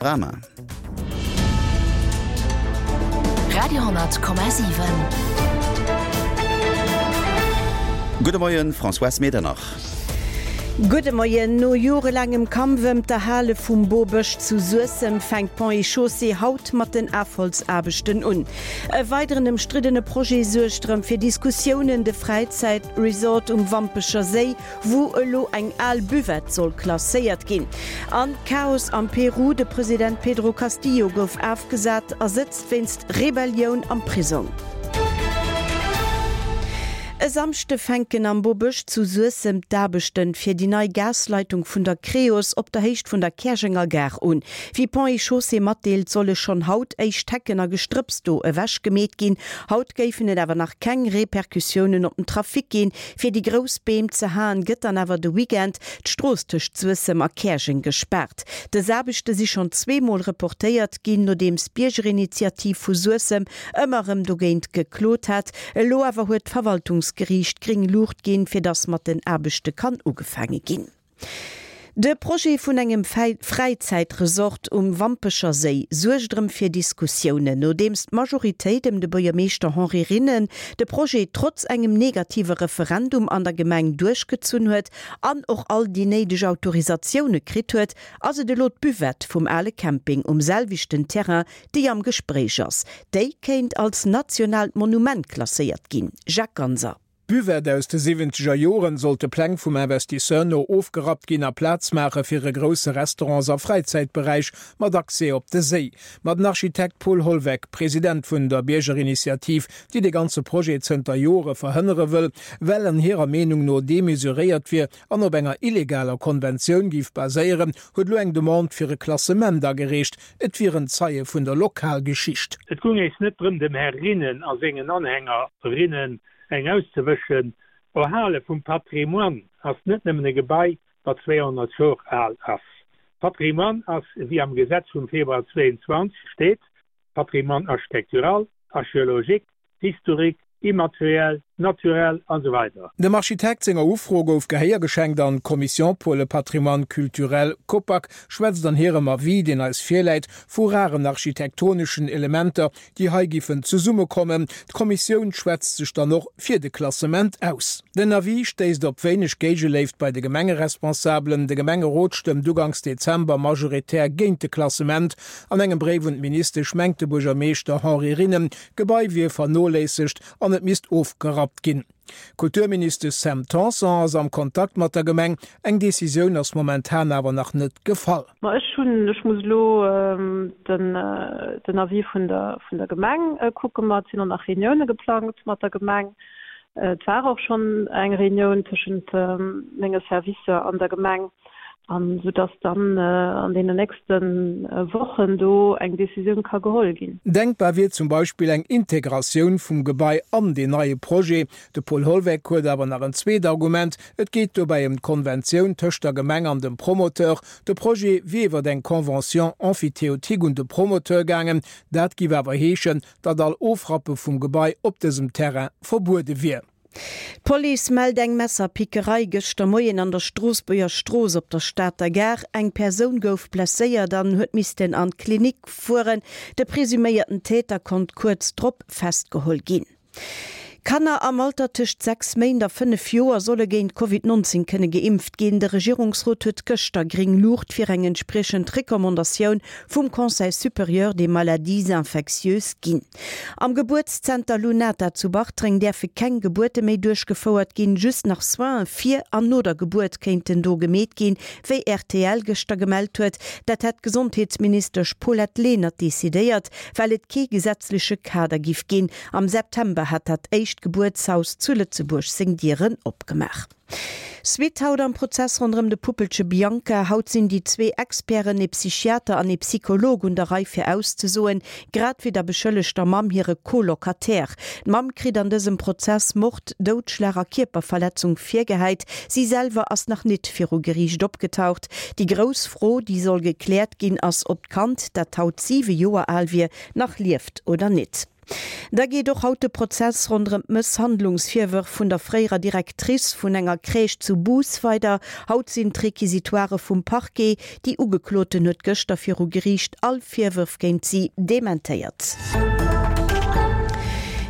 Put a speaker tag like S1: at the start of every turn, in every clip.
S1: Drama.
S2: Radio,7.
S1: Gudde Moien, Françoise Medernach.
S3: Gudde Moien. No jorelaangem Kampf ëm d'Erhale vum Bobësch zu Suessem fänkt Ponts et Chaussées haut mat den Afholzaarbechten un. E weideren ëmstriddene Projet suergt erëm fir Diskussiounen, de Fräizäitresort um Wampecher Séi wou elo eng al Buvette soll klasséiert ginn. An Chaos am Peru, De President Pedro Castillo gouf afgesat a sëtzt wéinst Rebellioun am Prisong. E Samschde fänken am Bobësch zu Suessem d'Aarbechten fir déi nei Gasleitung vun der Creos op der Héicht vun der Käerjenger Gare un. Wéi Ponts et Chaussées matdeelt, solle schonn haut éischt Hecken a Gestrëpps do ewech gemeet ginn. Haut géifen et awer nach keng Repercussiounen op den Trafic ginn. Fir déi grouss Beem ze haen, gëtt dann awer de Weekend d'Strooss tëscht Suessem a Käerjeng gespaart. Dës Aarbechte si schonn zweemol reportéiert ginn, nodeems d'Biergerinitiativ vu Suessem ëmmer erëm dogéint geklot hat. Elo awer huet d'Verwaltungsgeriicht gréng Luucht ginn, fir datt mat den Aarbechte kann ugefaange ginn. De Projet vun engem Fräizäitresort um Wampecher Séi suergt erëm fir Diskussiounen. Nodeems d'Majoritéit ëm de Buergermeeschter Henri Rinnen de Projet trotz engem negative Referendum an der Gemeng duerchgezunn huet an och all déi néideg Autorisatioune kritt huet, ass et elo d'Buvette vum ale Camping um selwechten Terrain, déi am Gespréich ass. Déi kéint als nationaalt Monument klasséiert ginn. Jacques Ganser.
S4: D'Buvette aus de siwwenzeger Joren sollt de Pläng vum Investisseur no ofgerappt ginn a Plaz maache fir e grousse Restaurants a Fräizäitberäich mat Accès op de Séi. Ma den Architekt Paul Holweck, President vun der Biergerinitiativ, déi de ganze Projet zënter Jore verhënnere wëll, well en hirer Meenung no demesuréiert wier an op enger illegaler Konventioun géif baséieren, huet elo eng Demande fir e Klassement agereecht. Et wier en Zeie vun der Lokalgeschicht.
S5: Et gung éis net drëm dem Här Rinnen a sengen Anhängerinnen eng auszewëschen. Erhale vum Patrimoine ass net nëmmen e Gebai, wat 200 Jor al ass. Patrimoine ass, wéi am Gesetz vum Februar 22 steet, Patrimoine architectural, archéologique, historique, immateriel, naturel an esou weider.
S4: Dem Architekt senger Ufro gouf Gehéier geschenkt an d'Commission pour le patrimoine culturel, COPAC, schwätzt an hirem Avis, deen eis virläit, vu raren architektoneschen Elementer, déi hei giffen zesummekommen. D'Kommissioun schwätzt sech dann och fir de Klassement aus. Den Avis stéisst op wéineg Géigeléift bei de Gemengeresponsabelen. De Gemengerot stëmmt uganks Dezember majoritär géint de Klassement. An engem Bréif un d'Ministesch mengt de Buergermeeschter Henri Rinnen, d'Gebai wier vernoléissegt an et misst ofgerappt ginn. D'Kulturministesch Sam Tanson ass am Kontakt mat der Gemeng. Eng Decisioun ass momentan awer nach net gefall.
S6: Ma ech hunn, ech muss elo den den Avis vun der vun der Gemeng kucken. Ma et sinn och nach Reunioune geplangt mat der Gemeng. Et war och schonn eng Reunioun tëschent menge Servicer an der Gemeng. An esou dass dann an deenen nächste Wochen do eng Décisioun ka geholl ginn.
S4: Denkbar wier zum Beispill eng Integratioun vum Gebai an deen neie Projet. De Paul Holweck huet awer nach en zweet Argument, Et geet dobäi ëm d'Konventioun tëscht der Gemeng an dem Promoteur. De Projet wier iwwer eng Convention emphytéotique un de Promoteur gaangen. Dat giff awer heeschen, datt all Ofrappe vum Gebai op dësem Terrain verbuede wier.
S3: D'Police mellt eng Messerpickerei gëschter Moien an der Stroossbuerger Strooss op der Stater Gare. Eng Persoun gouf blesséiert an huet missten an d'Klinik fueren. De presuméierten Täter konnt kuerz drop festgeholl ginn. Kanner am Alter tëscht 6 Méint a 5 Joer solle géint Covid 19 kënne geimpft ginn. De Regierungsrot huet gëschter gréng Luucht fir eng entspriechend Recommandatioun vum Conseil supérieur des maladies infectieuses ginn. Am Gebuertszenter Lunata zu Bartreng däerfe keng Gebuerte méi duerchgefouert ginn. Just nach Soine vir an no der Gebuert kéinten do gemeet ginn, wéi rtl gëschter gemellt huet. Dat hätt d'Gesondheetsministesch Paulette Lenert decidéiert, well et kee gesetzleche Kader giff ginn. Am September hat dat éischt Gebuertshaus zu Lëtzebuerg seng Dieren opgemaach. Suite haut am Prozess ronderëm de Puppelche Bianca. Haut sinn déi zwee Experten, ee Psychiater an ee Psycholog, un der Rei fir auszesoen, grad wéi der beschëllegter Mamm hire Co-Locataire. D'Mamm kritt an dësem Prozess Mord, Doudschlag a Kierperverletzung virgehäit. Si selwer ass nach nit viru Geriicht opgetaucht. Déi grouss Fro, déi soll gekläert ginn, ass, ob d'Kand, dat haut 7 Joer al wier, nach lieft oder nit. Da geet och haut de Prozess ronderëm d'Mësshandlungsvirwërf vun der fréierer Directrice vun enger Crèche zu Bous weider. Haut sinn d'Requisitoirë vum Parquet. Déi Ugekloten huet gëschter viru Geriicht all Virwërf géint si dementéiert.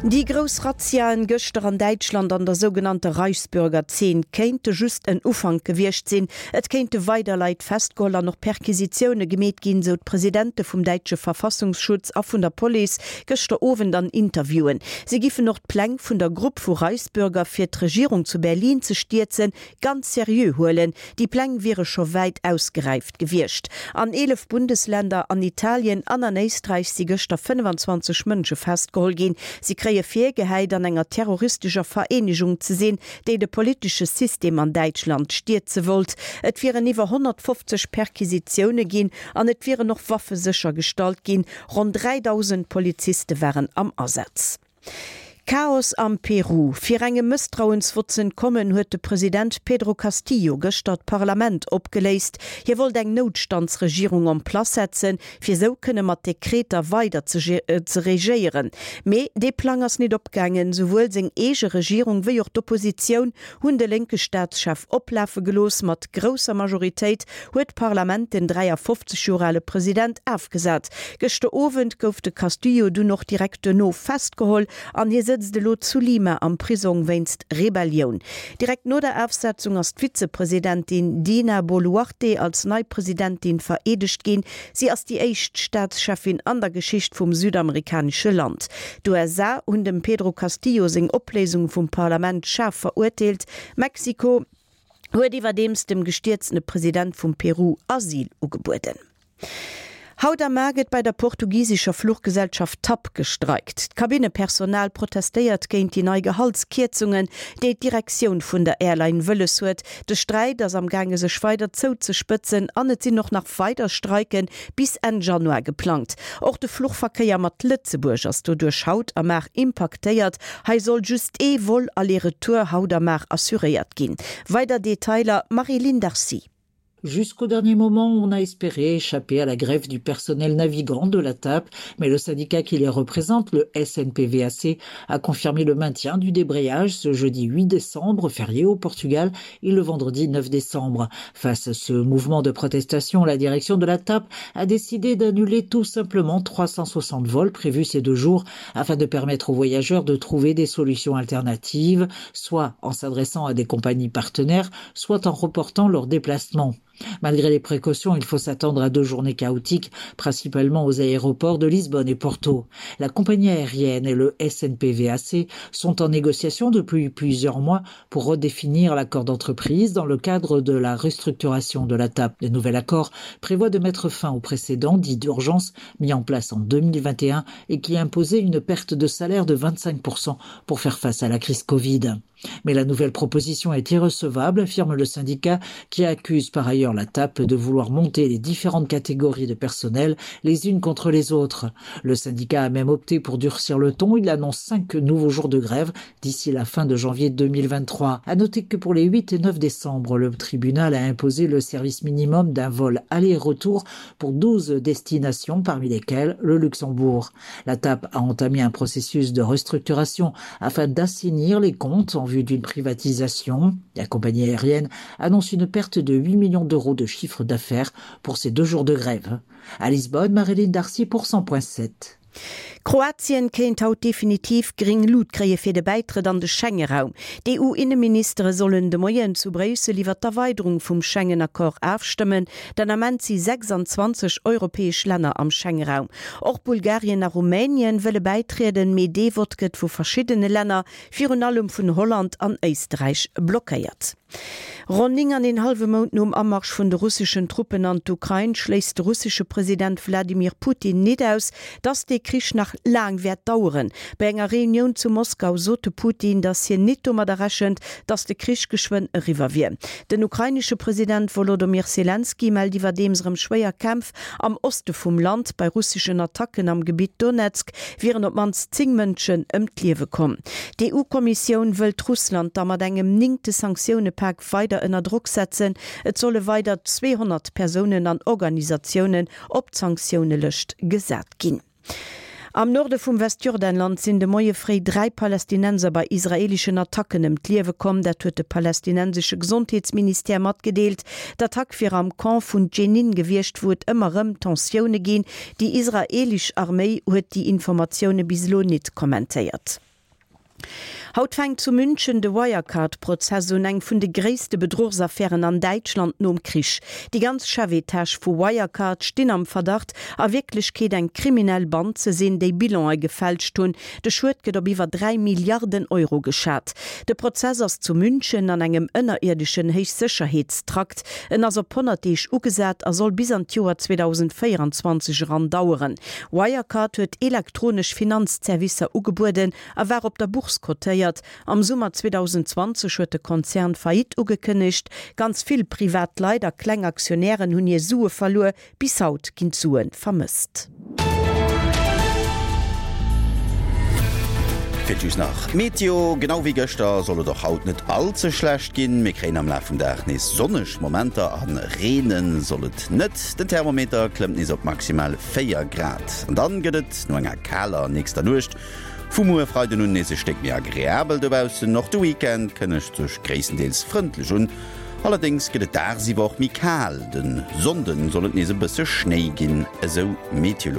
S3: Déi grouss Razziaen gëschter an Däitschland an der sougenannter Reichsbürger-Zeen kéinte just en Ufank gewiescht sinn. Et kéinte weider Leit festgeholl an och Perquisitioune gemeet ginn, sou d'Presidente vum däitsche Verfassungsschutz a vun der Police gëschter Owend an Interviewen. Si giffen och d'Pläng vun der Grupp vu Reichsbürger fir d'Regierung zu Berlin ze stierzen, ganz seriö huelen. Déi Pläng wiere scho wäit ausgeräift gewiescht. An 11 Bundesländer, an Italien an an Éisträich si gëschter 25 Mënsche festgeholl ginn. Si kréie virgehäit, an enger terroristescher Vereenegung ze sinn, déi de politesche System an Däitschland stierze wollt. Et wieren iwwer 150 Perquisitioune ginn an et wieren och Waffe séchergestallt ginn. Ronn 3.000 Poliziste waren am Asaz. Chaos am Peru, Fir engem Mësstrauensvott z'entkommen, huet de President Pedro Castillo gëschter d'Parlament opgeléist. Hie wollt eng Noutstandsregierung en place setzen, fir esou kënne mat Dekreter weider ze regéieren. Mee dee Plang ass nit opgaangen. Souwuel seng eege Regierung wéi och d'Oppositioun hunn de lénke Staatschef oplafe gelooss. Mat grousser Majoritéit huet d'Parlament den 53 Joer ale President afgesat. Gëschter Owend gouf de Castillo dunn och direkt duerno festgeholl an hie sëtzt elo zu Lima am Prisong wéinst Rebellioun. Direkt no der Afsetzung ass d'Vizepresidentin Dina Boluarte als nei Presidentin vereedegt ginn. Si ass déi éischt Staatscheffin an der Geschicht vum südamerikanesche Land. D'USA hunn dem Pedro Castillo seng Opléisung vum Parlament schaarf verurteelt. Mexiko huet iwwerdeems dem gestierzene President vum Peru Asyl ugebueden. Haut a mar gëtt bei der portugisescher Fluchgesellschaft TAP gestreikt. D'Kabinnepersonal protestéiert géint déi nei Gehaltskierzungen, déi d'Direktioun vun der Airline wëlles huet. De Sträit ass am gaange sech weider zouzespëtzen an et sinn och nach weider Streike bis Enn Januar geplangt. Och de Fluchverkéier mat Lëtzebuerg ass doduerch haut a mar impaktéiert. Hei soll just ee Vol aller-retour haut a mar assuréiert ginn. Weider Detailer Marie-Line Darcy.
S2: Jusqu'au dernier moment, on a espéré échapper à la grève du personnel navigant de la TAP, mais le syndicat qui les représente, le SNPVAC, a confirmé le maintien du débrayage ce jeudi 8 décembre, férié au Portugal, et le vendredi 9 décembre. Face à ce mouvement de protestation, la direction de la TAP a décidé d'annuler tout simplement 360 vols prévus ces deux jours afin de permettre aux voyageurs de trouver des solutions alternatives, soit en s'adressant à des compagnies partenaires, soit en reportant leur déplacement. Malgré les précautions, il faut s'attendre à deux journées chaotiques, principalement aux aéroports de Lisbonne et Porto. La compagnie aérienne et le SNPVAC sont en négociation depuis plusieurs mois pour redéfinir l'accord d'entreprise dans le cadre de la restructuration de la TAP. Le nouvel accord prévoit de mettre fin au précédent dit d'urgence mis en place en 2021 et qui imposait une perte de salaire de 25% pour faire face à la crise Covid. Mais la nouvelle proposition est irrecevable, affirme le syndicat qui accuse par ailleurs la TAP de vouloir monter les différentes catégories de personnel les unes contre les autres. Le syndicat a même opté pour durcir le ton, il annonce cinq nouveaux jours de grève d'ici la fin de janvier 2023. À noter que pour les 8 et 9 décembre, le tribunal a imposé le service minimum d'un vol aller-retour pour 12 destinations parmi lesquelles le Luxembourg. La TAP a entamé un processus de restructuration afin d'assainir les comptes en vue d'une privatisation. La compagnie aérienne annonce une perte de 8 millions d'euros de chiffre d'affaires pour ces deux jours de grève. À Lisbonne, Marilyn Darcy pour 100.7.
S3: Kroatien kéint haut definitiv gréng Lut kréie fir de Bäitrëtt an de Schengeraum. D'EU-Inneministere sollen de Moien zu Bréissel iwwer d'Erweiderung vum Schengen-Accord afstëmmen. Den Ament si 26 europäesch Länner am Schengeraum. Och Bulgarien a Rumänien wëlle bäitrieden, mee dee Vott gëtt vu verschiddene Länner, virun allem vun Holland an Éisträich, blockéiert. Ronn 9 an een hallwe Mount nom Amarsch vun de russeschen Truppen an d'Ukrain schléisst de russesche President Wladimir Putin nit aus, datt dee Krich nach laang wäert daueren. Bei enger Reunioun zu Moskau sot de Putin, datt hien nit domadder rechent, datt de Krich geschwënn eriwwer wier. Den ukrainesche President Wolodomyr Selenskyj mellt iwwerdeems erëm schwéier Kämpf am Oste vum Land. Bei russeschen Attacken am Gebitt Donezk wieren op d'mannst 10 Mënschen ëm d'Liewe komm. D'EU-Kommissioun wëllt Russland da mat engem néngte Sanktioune-Pak weider ënner Drock setzen. Et solle weider 200 Persounen an Organisatiounen op d'Sanktiounelëscht gesat ginn. Am Norde vum Westjordanland sinn de Moie fréi 3 Palästinenser bei israeeleschen Attacken ëm d'Liewe komm. Dat huet de palästinensesche Gesondheetsministère matgedeelt. D'Attack wier am Camp vun Dschenin gewiescht, wou et ëmmer rëm Tensioune ginn. Déi israeelesch Arméi huet déi Informatioune bis elo nit kommentéiert. Haut fänkt zu München de Wirecard-Prozess un, eng vun de gréisste Bedruchsaffären an Däitschland nom Krich. Déi ganz Chefetage vu Wirecard stinn am Verdacht, a Wierklechkeet eng kriminell Band ze sinn, déi Bilanë gefälscht hunn. De Schued gëtt op iwwer 3 Milliarden Euro geschat. De Prozess ass zu München an engem ënnerierdeschen Héichsécherheetstrakt. En ass op 100 Deeg ugesat a soll bis an d'Joer 2024 eran daueren. Wirecard huet elektronesch Finanzzerwisser ugebueden a war op der Bourse kotéiert. Am Summer 2020 huet de Konzern Faillite ugekënnegt. Ganz vill privat Leit a kleng Aktionären hunn hir Sue verluer. Bis haut ginn d'Sue vermësst.
S1: Fir just nach d'Meteo, Genau wéi gëschter soll et och haut net all ze schlecht ginn. Mir kréien am Laf vum Dag nees sonneg Momenter a reene soll et net. Den Thermometer klëmmt nees op maximal 4 Grad. An dann gëtt et no enger kaler nächster Nuecht Vu muer Freiden un nees e Stéck méi agreabel dobaussen. Och de Weekend kënnegt sech gréisstendeels frëndlech un, allerdéngs gëtt et dagsiwwer och méi kal. De Sonnde soll et nees e bësse Schnéi ginn, esou Meteolux.